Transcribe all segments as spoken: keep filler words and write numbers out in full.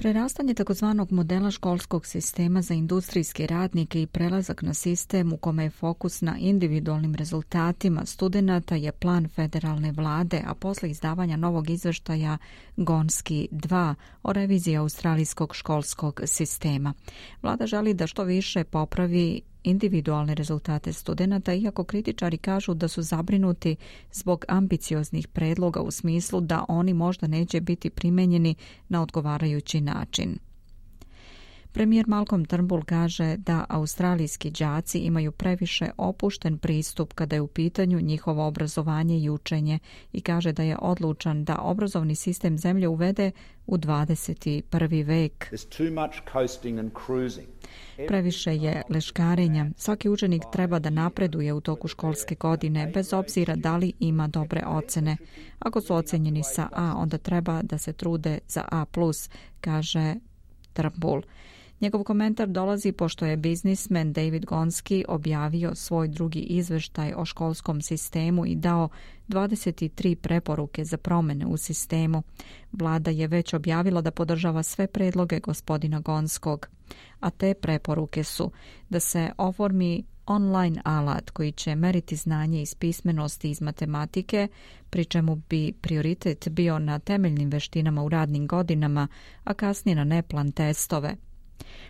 Prerastanje takozvanog modela školskog sistema za industrijske radnike i prelazak na sistem u kome je fokus na individualnim rezultatima studenata je plan federalne vlade, a posle izdavanja novog izveštaja Gonski dva o reviziji australijskog školskog sistema. Vlada želi da što više popravi individualne rezultate studenata, iako kritičari kažu da su zabrinuti zbog ambicioznih predloga u smislu da oni možda neće biti primenjeni na odgovarajući način. Premijer Malcolm Turnbull kaže da australijski đaci imaju previše opušten pristup kada je u pitanju njihovo obrazovanje i učenje i kaže da je odlučan da obrazovni sistem zemlje uvede u dvadeseti prvi vek. Previše je leškarenja. Svaki učenik treba da napreduje u toku školske godine, bez obzira da li ima dobre ocene. Ako su ocenjeni sa A, onda treba da se trude za A plus, kaže Turnbull. Njegov komentar dolazi pošto je biznismen David Gonski objavio svoj drugi izveštaj o školskom sistemu i dao dvadeset tri preporuke za promene u sistemu. Vlada je već objavila da podržava sve predloge gospodina Gonskog, a te preporuke su da se oformi online alat koji će meriti znanje iz pismenosti iz matematike, pri čemu bi prioritet bio na temeljnim veštinama u radnim godinama, a kasnije na neplan testove.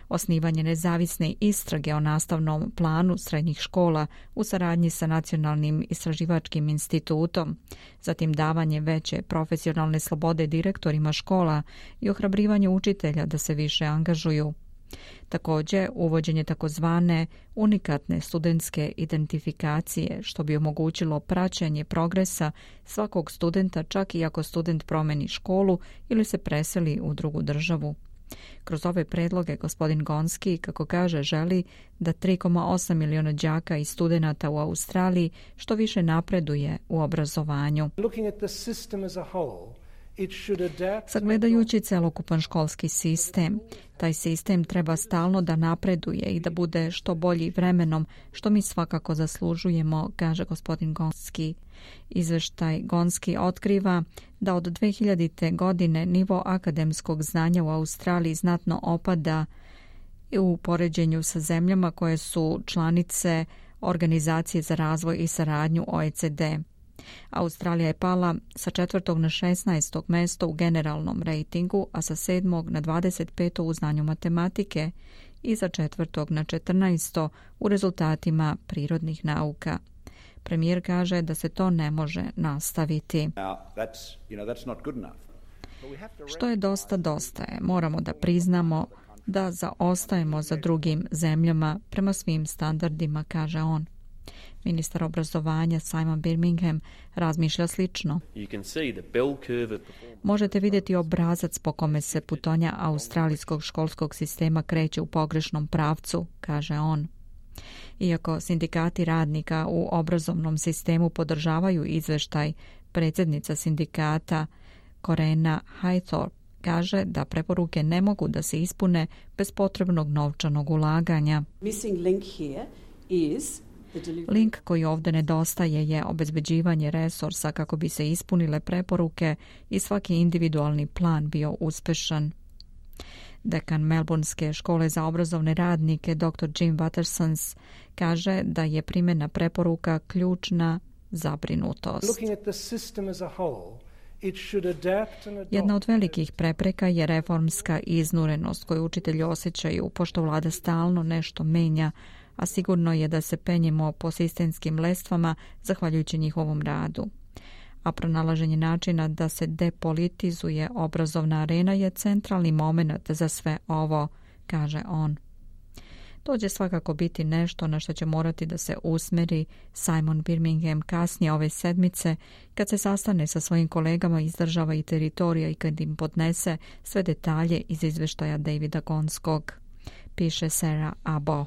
Osnivanje nezavisne istrage o nastavnom planu srednjih škola u saradnji sa Nacionalnim istraživačkim institutom, zatim davanje veće profesionalne slobode direktorima škola i ohrabrivanje učitelja da se više angažuju. Također, uvođenje takozvane unikatne studentske identifikacije, što bi omogućilo praćenje progresa svakog studenta čak i ako student promeni školu ili se preseli u drugu državu. Kroz ove predloge gospodin Gonski, kako kaže, želi da tri zarez osam miliona đaka i studenata u Australiji što više napreduje u obrazovanju. Sagledajući celokupan školski sistem, taj sistem treba stalno da napreduje i da bude što bolji vremenom, što mi svakako zaslužujemo, kaže gospodin Gonski. Izveštaj Gonski otkriva da od dve hiljadite. godine nivo akademskog znanja u Australiji znatno opada u poređenju sa zemljama koje su članice Organizacije za razvoj i saradnju O E C D. Australija je pala sa četvrtog na šesnaesto mesto u generalnom rejtingu, a sa sedmog na dvadeset peto u znanju matematike i sa četvrtog na četrnaesto u rezultatima prirodnih nauka. Premijer kaže da se to ne može nastaviti. Što je dosta, dosta je. Moramo da priznamo da zaostajemo za drugim zemljama prema svim standardima, kaže on. Ministar obrazovanja Simon Birmingham razmišlja slično. Možete vidjeti obrazac po kome se putonja australijskog školskog sistema kreće u pogrešnom pravcu, kaže on. Iako sindikati radnika u obrazovnom sistemu podržavaju izveštaj, predsjednica sindikata Corena Haythorpe kaže da preporuke ne mogu da se ispune bez potrebnog novčanog ulaganja. Link koji ovdje nedostaje je obezbeđivanje resursa kako bi se ispunile preporuke i svaki individualni plan bio uspešan. Dekan Melbournske škole za obrazovne radnike doktor Jim Wattersons kaže da je primjena preporuka ključna zabrinutost. Jedna od velikih prepreka je reformska iznurenost koju učitelji osjećaju, pošto vlada stalno nešto menja, a sigurno je da se penjemo po sistemskim lestvama zahvaljujući njihovom radu. A pronalaženje načina da se depolitizuje obrazovna arena je centralni moment za sve ovo, kaže on. To će svakako biti nešto na što će morati da se usmeri Simon Birmingham kasnije ove sedmice kad se sastane sa svojim kolegama iz država i teritorija i kad im podnese sve detalje iz izveštaja Davida Gonskog, piše Sarah Abo.